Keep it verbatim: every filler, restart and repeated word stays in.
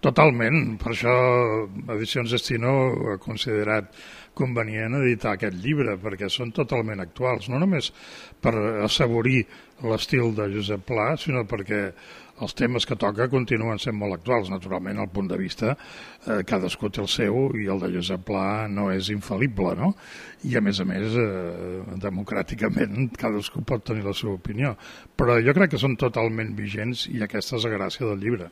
Totalment, per això Edicions Destino ha considerat convenient editar aquest llibre, perquè són totalment actuals, no només per assaborir l'estil de Josep Pla, sinó perquè els temes que toca continuen sent molt actuals. Naturalment, el punt de vista, eh, cadascú té el seu, i el de Josep Pla no és infal·lible, no? I a més a més, eh, democràticament, cadascú pot tenir la seva opinió. Però jo crec que són totalment vigents, i aquesta és la gràcia del llibre.